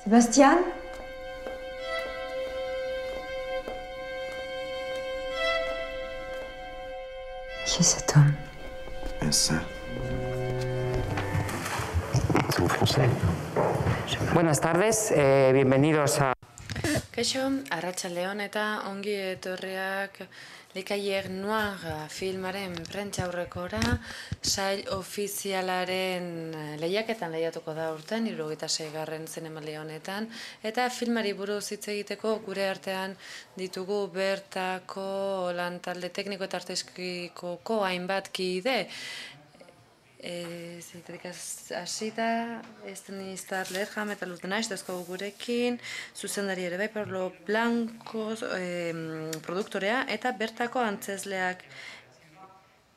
Sebastian? Qui est cet homme? Ça. C'est en français. Buenas tardes, bienvenidos a... Kaixo, arratsaldeon eta ongi etorriak Likaier Noir filmaren prentsaurrekora, sail ofizialaren lehiaketan lehiatuko da urten, 76. zinemaldi honetan, eta filmari buruz hitz egiteko gure artean ditugu bertako lantalde tekniko eta artistikoko hainbat kide. Ziterik hasita, Estenistar Lerjam eta Luz de Naiz dazko gurekin, zuzendari ere bai, Pablo Blanco produktorea, eta bertako antzezleak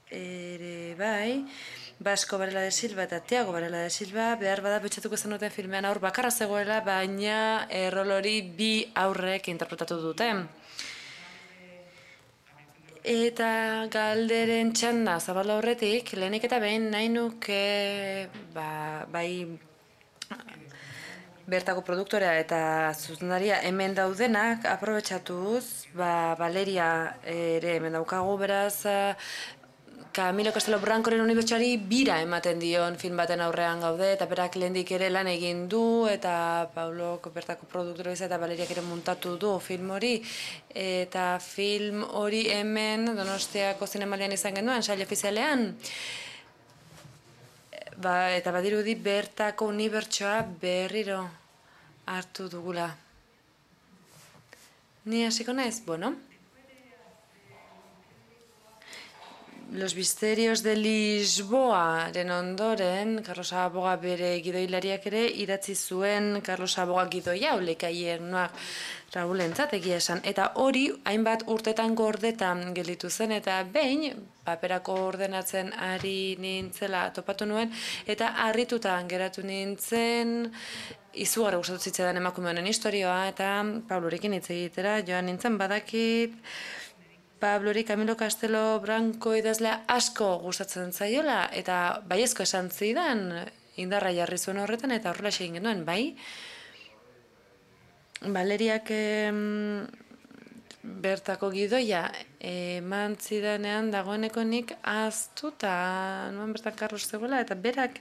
ere bai, Basko Varela de Silva eta Tiago Varela de Silva, behar bada betxatuko zen duten filmean aur bakarra zegoela, baina rol hori bi aurrek interpretatu duten. Eta galderen txanda zabala horretik, lehenik eta behin nahi nuke bai bertako produktorea eta zuzendaria hemen daudenak aprobetxatuz, Valeria ere hemen daukagu, beraz Camilo Castelo Brancoren unibertsuari bira ematen dion film baten aurrean gaude, eta berak lehendik ere lan egin du, eta Paulok bertako produktorea eta Valeriak ere muntatu du film hori, eta film hori hemen Donostiako zinemaldian izan genuen, sail ofizialean. Eta badirudi bertako unibertsoa berriro hartu dugula. Ni hasiko naiz, bueno. Los Misterios de Lisboaren ondoren, Carlos Aboga bere gidoilariak ere idatzi zuen Carlos Aboga gidoia, Likaier Noir Raulentzat egia esan. Eta hori hainbat urtetan gordetan gelditu zen, eta behin paperako ordenatzen ari nintzela topatu nuen, eta harrituta geratu nintzen, izugarri gustatu zitzaidan emakume honen istorioa, eta Pablorekin hitz egitera joan nintzen badakit, Pablori Camilo Castelo Branco idazlea asko gustatzen zaiola, eta baiezko esan zidan, indarra jarri zuen horretan, eta horrela egin genuen, bai? Valeriak bertako gidoia eman zidanean dagoeneko nik ahaztuta nuen bertan Carlos zegoela, eta berak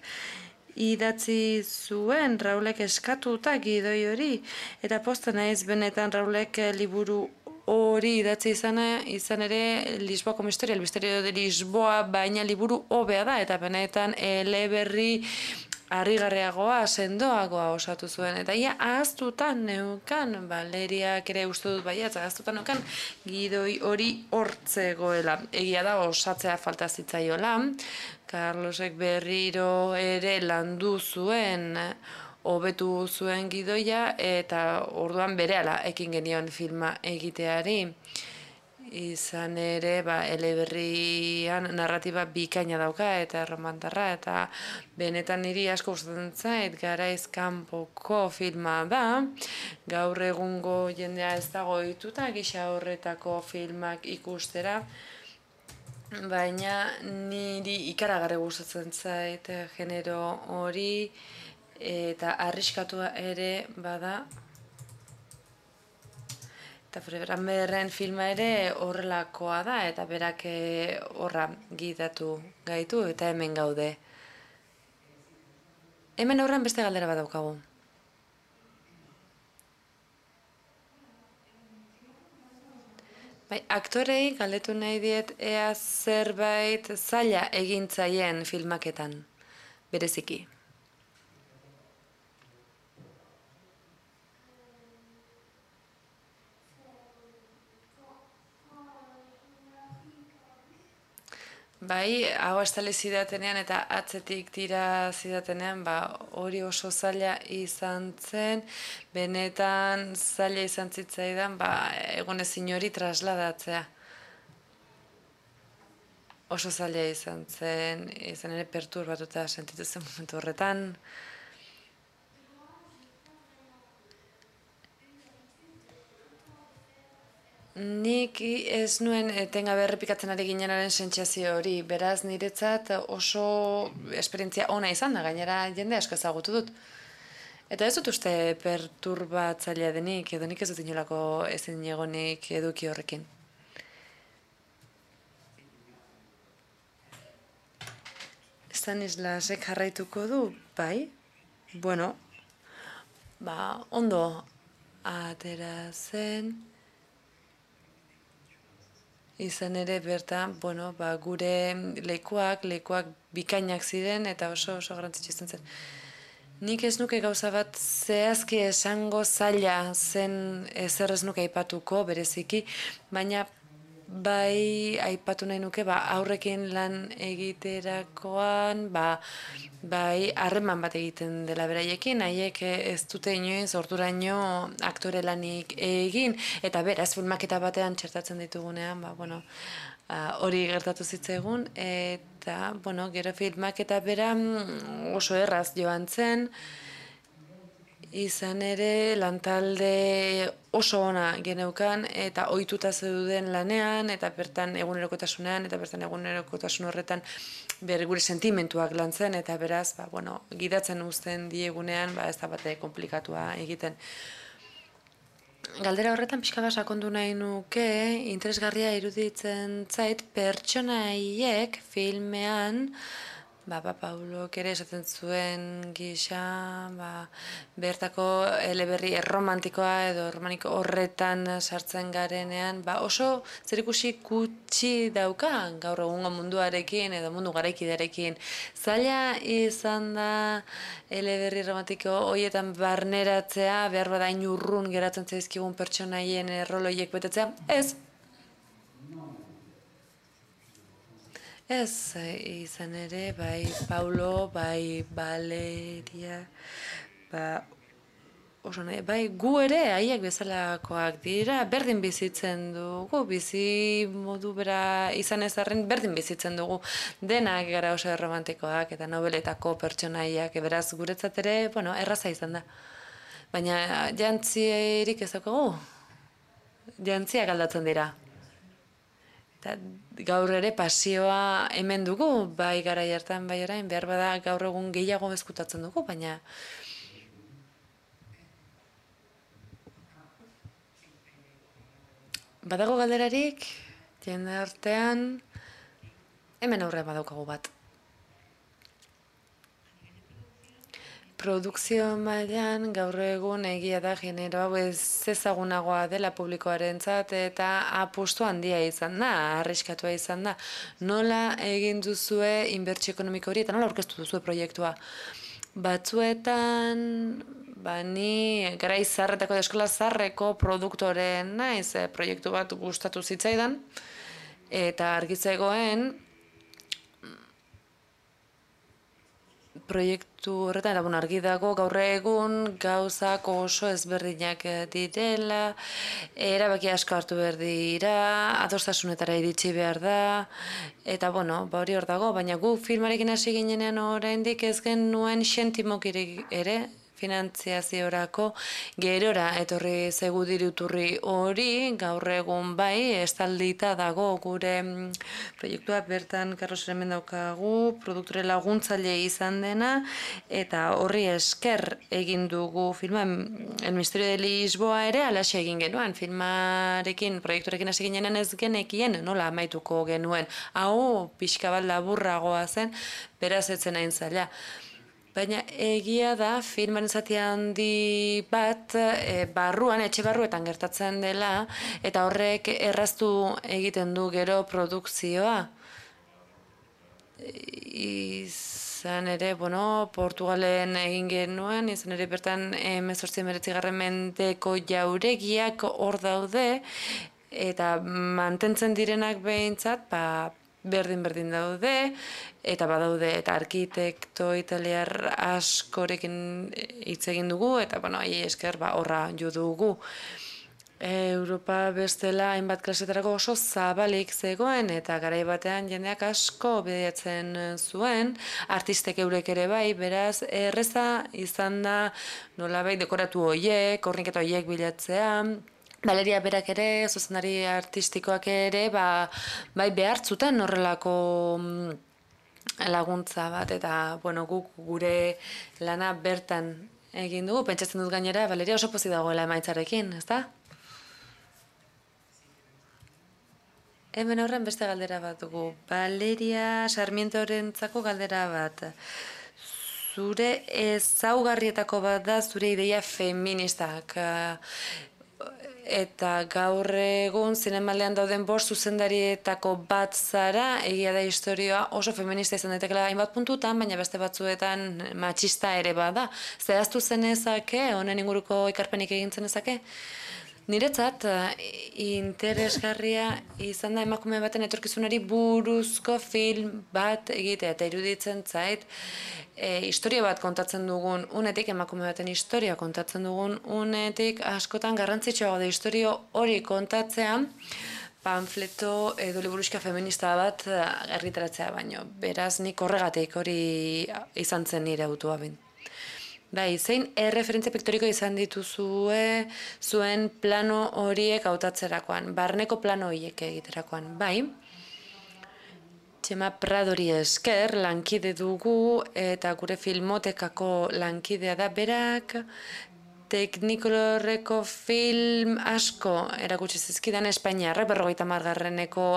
idatzi zuen Raulek eskatuta gidoi hori, eta posten naiz benetan Raulek liburu hori idatzi izan ere Lisboako misterio, el misterio de Lisboa, baina liburu hobea da, eta benetan eleberri harrigarriagoa, sendoagoa osatu zuen. Eta ia ahaztuta neukan, Valeriak ere uste dut baiatz, ahaztuta neukan gidoi hori hortzegoela. Egia da osatzea falta zitzaiola, Carlosek berriro ere landu zuen, hobetu zuen gidoia, eta orduan berehala ekin genion filma egiteari. Izan ere, eleberrian narratiba bikaina dauka eta romantarra, eta benetan niri asko gustatzen zait, garaiz kanpoko filma da. Gaur egungo jendea ez dago ohituta gisa horretako filmak ikustera, baina niri ikaragarri gustatzen zait genero hori, eta arriskatua ere bada. Eta Frebranberren filma ere horrelakoa da, eta berak horra gidatu gaitu, eta hemen gaude. Hemen horren beste galdera bat daukagu. Bai, aktorei galdetu nahi diet ea zerbait zaila egintzaien filmaketan, bereziki. Bai, hau estali zidatenean eta atzetik tira zidatenean, hori oso zaila izan zen, benetan zaila izan zitzaidan, egonezin hori trasladatzea. Oso zaila izan zen, izan ere perturbatuta sentitu zen momentu horretan. Nik ez nuen etengabe errepikatzen ari ginenaren sentsazio hori, beraz niretzat oso esperientzia ona izan da, gainera jende asko ezagutu dut. Eta ez dut uste perturbatzailea denik, edo nik ez dut inolako ezin egonik eduki horrekin. Stanislasek jarraituko du, bai? Bueno, ondo atera zen. Izan ere bertan, gure lekuak bikainak ziren eta oso garrantzitsu izan zen. Nik ez nuke gauza bat zehazki esango zaila zen ezer ez nuke aipatuko bereziki, baina bai aipatu nahi nuke aurrekin lan egiterakoan bai harreman bat egiten dela beraiekin, haiek ez dute inoiz orduraino aktore lanik egin, eta beraz filmaketa batean txertatzen ditugunean, hori gertatu zitzaigun, eta gero filmaketa bera oso erraz joan zen, izan ere lantalde oso ona geneukan eta ohituta zeuden lanean eta bertan egunerokotasunean eta bertan egunerokotasun horretan gure sentimentuak lantzen eta beraz gidatzen uzten diegunean ez da bate komplikatua egiten. Galdera horretan pixka bat sakondu nahi nuke, interesgarria iruditzen zait pertsonaiek filmean Paulok ere esaten zuen gisa, bertako eleberri erromantikoa edo romaniko horretan sartzen garenean, oso zerikusi gutxi dauka gaur egungo munduarekin edo mundu garaikidearekin. Zaila izan da eleberri romantiko horietan barneratzea, behar bada urrun geratzen zaizkigun pertsonaien erroloiek betetzea, ez. Ez, izan ere, bai Paulo, bai Valeria, bai gu ere haiek bezalakoak dira, berdin bizitzen dugu, bizi modu bera izan ez arren berdin bizitzen dugu, denak gara oso romantikoak eta nobeletako pertsonaiak, beraz guretzat ere, erraza izan da. Baina jantzierik ez daukagu, jantziak aldatzen dira. Eta gaur ere pasioa hemen dugu, bai garai hartan, bai orain, behar bada gaur egun gehiago ezkutatzen dugu, baina badago galderarik, jende artean, hemen aurrean badaukagu bat. Produkzio mailan gaur egun egia da genero hau ez ezagunagoa dela publikoarentzat eta apustu handia izan da, arriskatua izan da. Nola egin duzue inbertsio ekonomiko hori eta nola aurkeztu duzue proiektua? Batzuetan, ni garai zaharretako edo eskola zaharreko produktoren naiz, proiektu bat gustatu zitzaidan eta argitzegoen proiektu horretan, argi dago gaur egun gauzak oso ezberdinak direla, erabaki asko hartu behar dira, adostasunetara iritsi behar da, eta hori hor dago, baina gu filmarekin hasi ginenean oraindik ez genuen xentimokirik ere, finantziaziorako gerora etorri zegu diruturri hori, gaur egun bai, estaldita dago gure proiektua bertan Carlos hemen daukagu, produktore laguntzaile izan dena, eta horri esker egin dugu filma, El Misterio de Lisboa ere alaxe egin genuen, filmarekin, proiekturekin hasi ginenean ez genekien, nola amaituko genuen, hau pixka bat laburragoa zen, beraz etzen hain zaila. Baina egia da filmaren zati handi bat barruan, etxe barruetan gertatzen dela, eta horrek erraztu egiten du gero produkzioa. Izan ere, Portugalen egin genuen, izan ere bertan 18. mendeko jauregiak hor daude, eta mantentzen direnak behintzat, berdin daude, eta badaude eta arkitekto italiar askorekin hitz egin dugu, eta haiei esker horra jo dugu. Europa bestela hainbat klasetarako oso zabalik zegoen, eta garai batean jendeak asko bilatzen zuen, artistek eurek ere bai, beraz, erreza izan da nolabait dekoratu horiek, horniketa horiek bilatzea, Valeria berak ere, zuzendari artistikoak ere, bai behartzutan horrelako laguntza bat, eta guk gure lana bertan egin dugu, pentsatzen dut gainera, Valeria oso pozik dagoela emaitzarekin, ezta? Hemen horren beste galdera bat dugu. Valeria Sarmientorentzako galdera bat. Zure ezaugarrietako bat da zure ideia feministak. Eta gaur egun zinemalean dauden bost zuzendarietako bat zara, egia da historia oso feminista izan daitekeela hainbat puntutan, baina beste batzuetan matxista ere bada. Zehaztu zenezake, honen inguruko ikarpenik egin zenezake? Niretzat, interesgarria izan da emakume baten etorkizunari buruzko film bat egitea, eta iruditzen zait, historia bat kontatzen dugun unetik, emakume baten historia kontatzen dugun unetik, askotan garrantzitsua da historia hori kontatzea, panfleto edo liburuxka feminista bat argitaratzea baino. Beraz, nik horregatik hori izan zen nire autua bin. Bai, zein erreferentzia piktoriko izan dituzue zuen plano horiek hautatzerakoan, barneko plano horiek egiterakoan, bai. Txema Pradori esker lankide dugu eta gure filmotekako lankidea da berak, Teknikolorreko film asko erakutsi zizkidan Espainiarrak 50.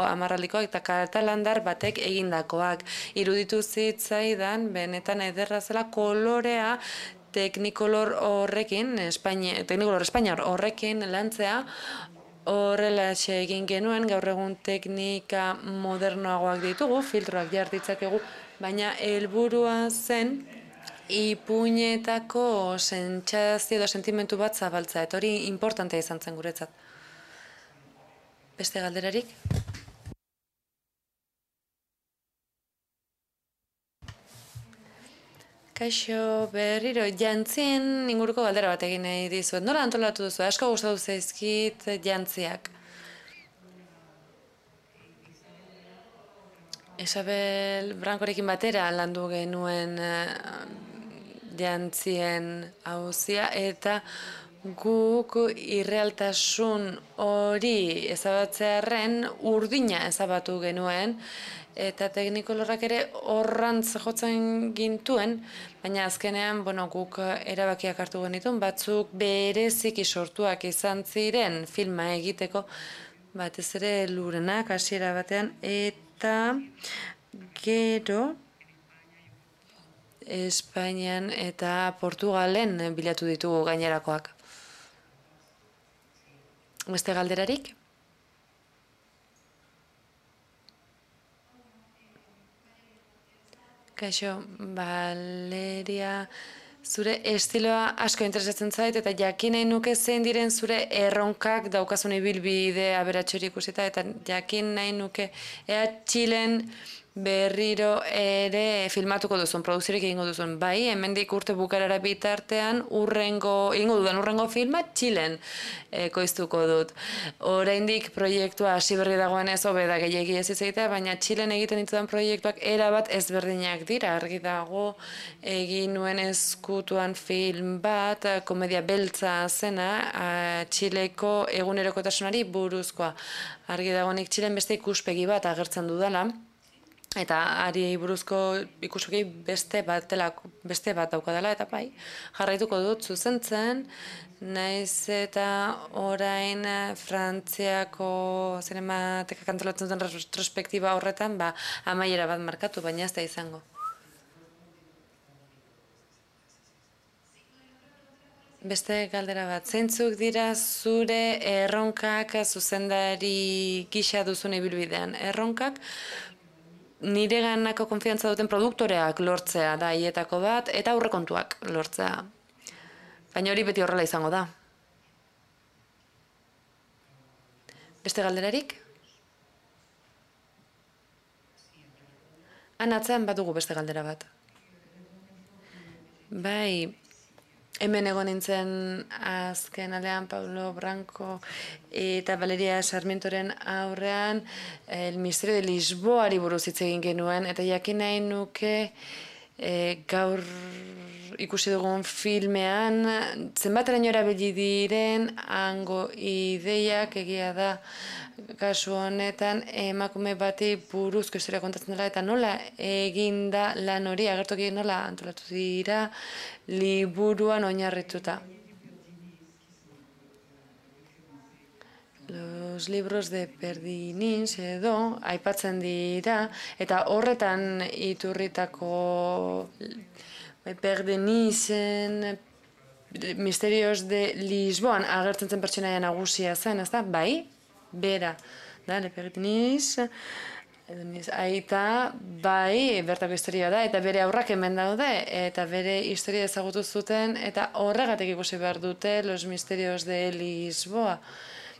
hamarraldikoak eta katalandar batek egindakoak. Iruditu zitzaidan benetan ederra zela kolorea Teknikolor Espainiar horrekin lantzea. Horrela egin genuen, gaur egun teknika modernoagoak ditugu, filtroak jartitzakegu, baina helburua zen ipuinetako sentsazio edo sentimentu bat zabaltza, eta hori importantea izan zen guretzat. Beste galderarik? Kaixo, berriro, jantzien inguruko galdera bat egin nahi dizuet. Nola antolatu duzu? Asko gustatu zaizkit jantziak. Isabel Brancorekin batera landu genuen jantzien auzia, eta guk irrealtasun hori ezabatzearren urdina ezabatu genuen, eta Teknikolorrak ere horrantz jotzen gintuen, baina azkenean guk erabakiak hartu genituen, batzuk bereziki sortuak izan ziren filma egiteko, batez ere Lurenak hasiera batean, eta gero Espainian eta Portugalen bilatu ditugu gainerakoak. Beste galderarik? Kaixo, Valeria, zure estiloa asko interesatzen zait, eta jakin nahi nuke zein diren zure erronkak daukazun ibilbide aberatxori ikusita, eta jakin nahi nuke ea Txilen berriro ere filmatuko duzun, produzirik egingo duzun. Bai, hemendik urte bukarara bitartean egingo dudan urrengo filma Txilen koiztuko dut. Oraindik proiektua hasi berri dagoenez hobe da gehiegi ez egitea, baina Txilen egiten ditudan proiektuak erabat ezberdinak dira. Argi dago egin nuen ezkutuan film bat, komedia beltza zena, Txileko egunerokotasunari buruzkoa. Argi dago nik Txilen beste ikuspegi bat agertzen dudala, eta ari buruzko ikuspegi beste bat daukadala, eta bai, jarraituko dut zuzentzen, naiz eta orain Frantziako zinematekak antolatzen duten retrospektiba horretan, amaiera bat markatu, baina ez da izango. Beste galdera bat, zeintzuk dira zure erronkak zuzendari gisa duzun ibilbidean? Erronkak nire ganako konfiantza duten produktoreak lortzea da hietako bat, eta aurrekontuak lortzea. Baina hori beti horrela izango da. Beste galderarik? Atzean bat dugu beste galdera bat. Bai, hemen egon nintzen azken aldean Paulo Branco eta Valeria Sarmientoren aurrean El Misterio de Lisboari buruz hitz egin genuen, eta jakin nahi nuke gaur ikusi dugun filmean, zenbateraino erabili diren hango ideiak egia da kasu honetan emakume bati buruzko historia kontatzen dela eta nola egin da lan hori, agertokiek nola antolatu dira liburuan oinarrituta. Los libros de Perdinins edo aipatzen dira eta horretan iturritako Perdinisen Misterios de Lisboan agertzen zen pertsonaia nagusia zen, ezta? Bai, bera. Da, Le Perdinis, aita, bai, bertako historia da, eta bere aurrak hemen daude, eta bere historia ezagutu zuten, eta horregatik ikusi behar dute Los Misterios de Lisboa.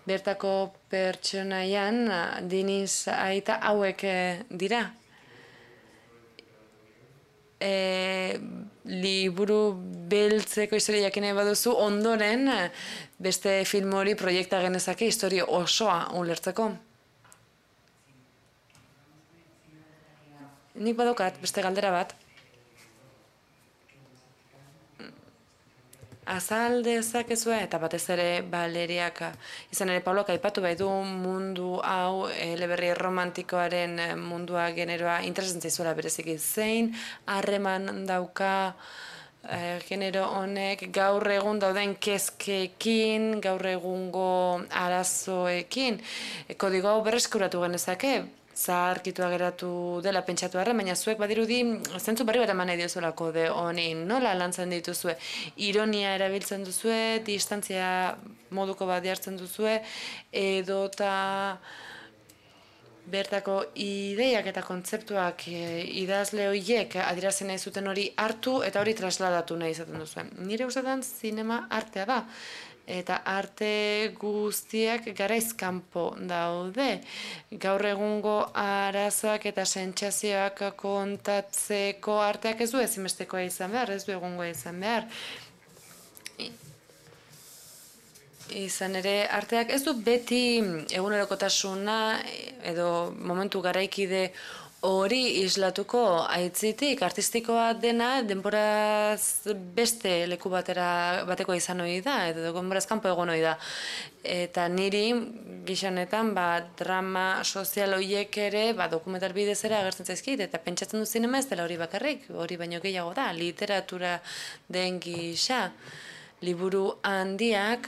Bertako pertsonaian, Diniz aita hauek dira. Liburu beltzeko historia jakin nahi baduzu, ondoren beste film hori proiekta genezake historia osoa ulertzeko. Nik badokat beste galdera bat. Azal dezakezue, eta batez ere Valeriak, izan ere Paulok aipatu bai du mundu hau, eleberri romantikoaren mundua generoa interesatzen zaizuela bereziki zein, harreman dauka genero honek gaur egun dauden kezkekin, gaur egungo arazoekin, kodigo hau berreskuratu genezake, zaharkitua geratu dela pentsatu arren, baina zuek badirudi zentzu berri bat eman nahi diozula kode honi, nola lantzen dituzue, ironia erabiltzen duzue, distantzia moduko bat jartzen duzue, edota bertako ideiak eta kontzeptuak idazle horiek adierazten nahi zuten hori hartu eta hori trasladatu nahi izaten duzuen. Nire ustetan zinema artea da. Eta arte guztiak garaiz kanpo daude. Gaur egungo arazoak eta sentsazioak kontatzeko arteak ez du ezinbestekoa izan behar, ez du egungoa izan behar. Izan ere, arteak ez du beti egunerokotasuna edo momentu garaikide hori islatuko aitzitik, artistikoa dena denboraz beste leku bateko izan hori da, edo denboraz kanpo egon hori da. Eta niri, gizonetan, drama sozial horiek ere, dokumental bidez ere agertzen zaizkit, eta pentsatzen du zinema ez dela hori bakarrik, hori baino gehiago da, literatura den gisa. Liburu handiak,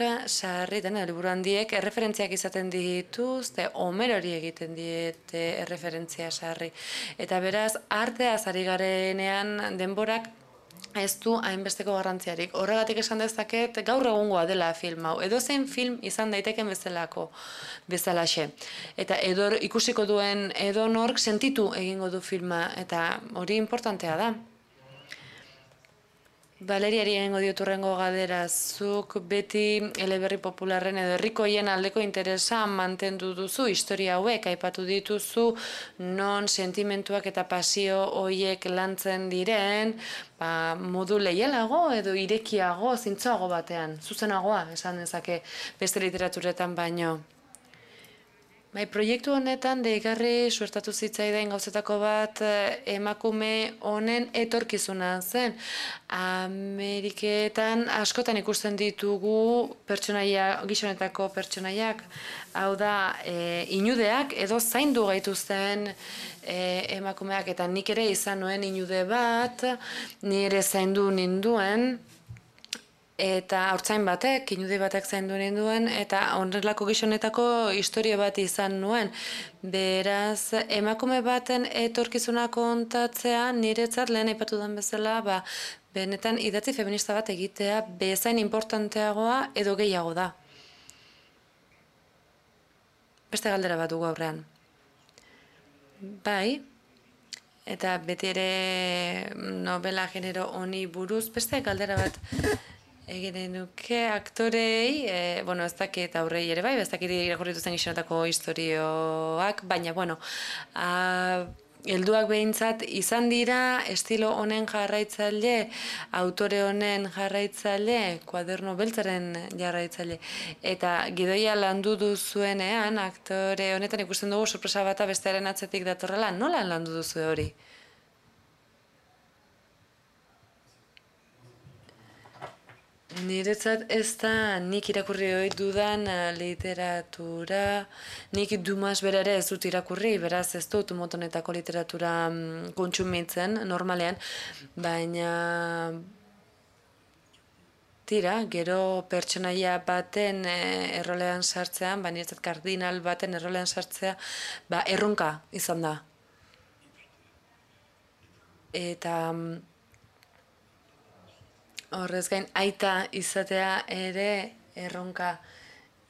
liburu handiek erreferentziak izaten dituzte, Homerori egiten diete erreferentzia sarri. Eta beraz, arteaz ari garenean denborak ez du hainbesteko garrantziarik. Horregatik esan dezaket gaur egungoa dela film hau. Edozein film izan daiteken bezalaxe. Eta ikusiko duen edonork sentitu egingo du filma, eta hori importantea da. Valeriari egingo diot hurrengo galdera, zuk beti eleberri popularren edo herrikoien aldeko interesa mantendu duzu, historia hauek aipatu dituzu, non sentimentuak eta pasio horiek lantzen diren, modu leialago edo irekiago, zintzoago batean, zuzenagoa, esan dezake beste literaturetan baino. Proiektu honetan deigarri suertatu zitzaidan gauzetako bat emakume honen etorkizuna zen. Ameriketan askotan ikusten ditugu gizonetako pertsonaiak, hau da inudeak edo zaindu gaituzten emakumeak, eta nik ere izan nuen inude bat, nire zaindu ninduen, eta haurtzain batek, inude batek zaindu ninduen, eta horrelako gizonetako historia bat izan nuen. Beraz, emakume baten etorkizuna kontatzea, niretzat lehen aipatu den bezala, benetan idatzi feminista bat egitea bezain importanteagoa edo gehiago da. Beste galdera bat dugu aurrean. Bai, eta beti ere novela genero honi buruz, beste galdera bat egiten nuke aktorei, ez dakit aurrei ere bai, ez dakit irakurritu zen gizonetako historioak, baina, helduak behintzat izan dira estilo honen jarraitzaile, autore honen jarraitzaile, kuaderno beltzaren jarraitzaile. Eta gidoia landu duzuenean, aktore honetan ikusten dugu sorpresa bata bestearen atzetik datorrela, nola landu duzu hori? Niretzat ez da nik irakurri ohi dudan literatura, nik Dumas bera ere ez dut irakurri, beraz ez dut motonetako literatura kontsumitzen normalean, baina tira, gero pertsonaia baten errolean sartzean, niretzat kardinal baten errolean sartzea, erronka izan da. Eta horrez gain, aita izatea ere erronka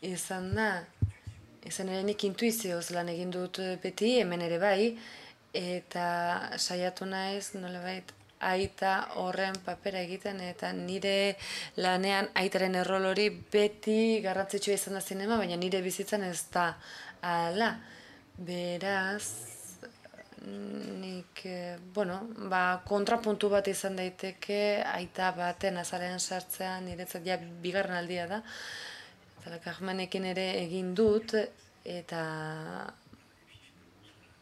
izan da. Izan ere nik intuizioz lan egin dut beti, hemen ere bai, eta saiatu naiz nolabait aita horren papera egiten, eta nire lanean aitaren errol hori beti garrantzitsua izan da zinema, baina nire bizitzan ez da hala. Beraz, nik, kontrapuntu bat izan daiteke aita baten azalean sartzean niretzat ja bigarren aldia da. Eta Carmenekin ere egin dut, eta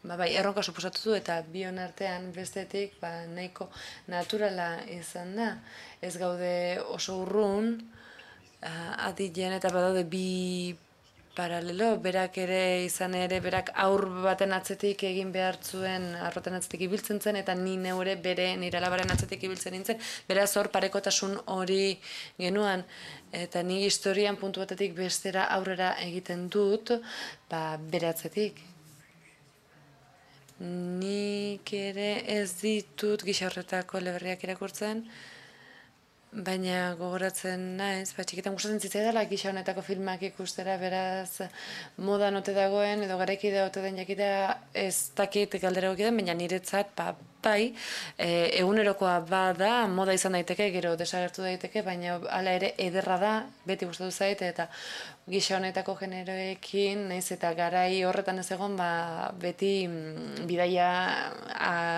erronka suposatu du, eta bion artean bestetik nahiko naturala izan da. Ez gaude oso urrun, adilean eta badaude bi paralelo, berak ere izan ere, berak aur baten atzetik egin behar zuen, arroten atzetik ibiltzen zen, eta ni neure bere nire alabaren atzetik ibiltzen nintzen, beraz hor parekotasun hori genuan, eta ni historian puntu batetik bestera aurrera egiten dut, bere atzetik. Nik ere ez ditut gisa horretako eleberriak irakurtzen, baina gogoratzen naiz, txikitan gustatzen zitzaidala gisa honetako filmak ikustera, beraz modan ote dagoen edo garaikide ote den jakitea ez dakit galdera egiten, baina niretzat bai, egunerokoa bada, moda izan daiteke, gero desagertu daiteke, baina hala ere ederra da, beti gustatu zait, eta gisa honetako generoekin, naiz eta garai horretan ez egon, beti bidaia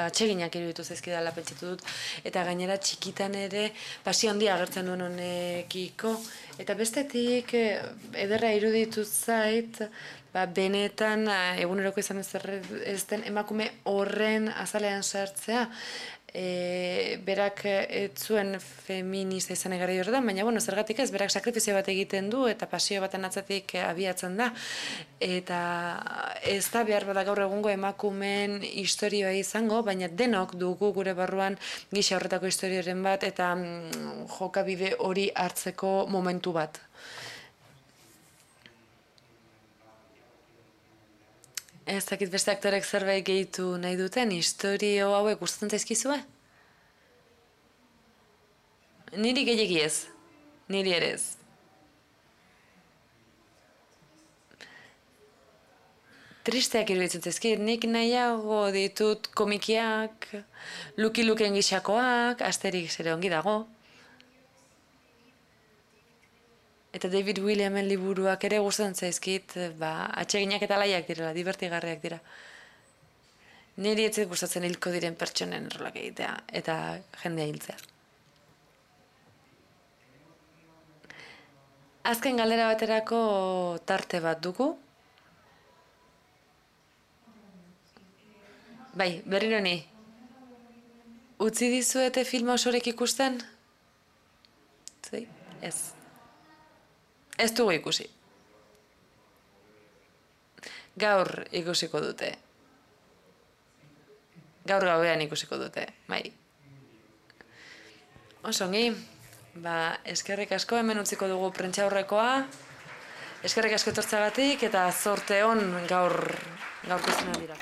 atseginak iruditu zaizkidala pentsatu dut, eta gainera txikitan ere pasio handia agertzen duen honekiko, eta bestetik ederra iruditu zait, benetan eguneroko izan ez den emakume horren azalean sartzea, berak ez zuen feminista izan egarai horretan, baina zergatik ez, berak sakrifizio bat egiten du eta pasio baten atzatik abiatzen da, eta ez da behar bada gaur egungo emakumeen historioa izango, baina denok dugu gure barruan gisa horretako historioren bat eta jokabide hori hartzeko momentu bat. Ez dakit beste aktorek zerbait gehitu nahi duten, historio hauek gustatzen zaizkizue? Niri gehiegi ez, niri ere ez. Tristeak iruditzen zaizkit, nik nahiago ditut komikiak, Lucky Luken gisakoak, Asterix ere ongi dago. Eta David Williamen liburuak ere gustatzen zaizkit, atseginak eta laiak direla, divertigarriak dira. Niri ez gustatzen hilko diren pertsonen rolak egitea, eta jendea hiltzea. Azken galdera baterako tarte bat dugu. Bai, berriro ni. Utzi dizuete filma osorek ikusten? Zai, ez. Ez dugu ikusi. Gaur ikusiko dute. Gaur gauean ikusiko dute, bai. Osongi, eskerrik asko, hemen utziko dugu prentsaurrekoa. Eskerrik asko etortzagatik eta zorte on gaur ikusten dira.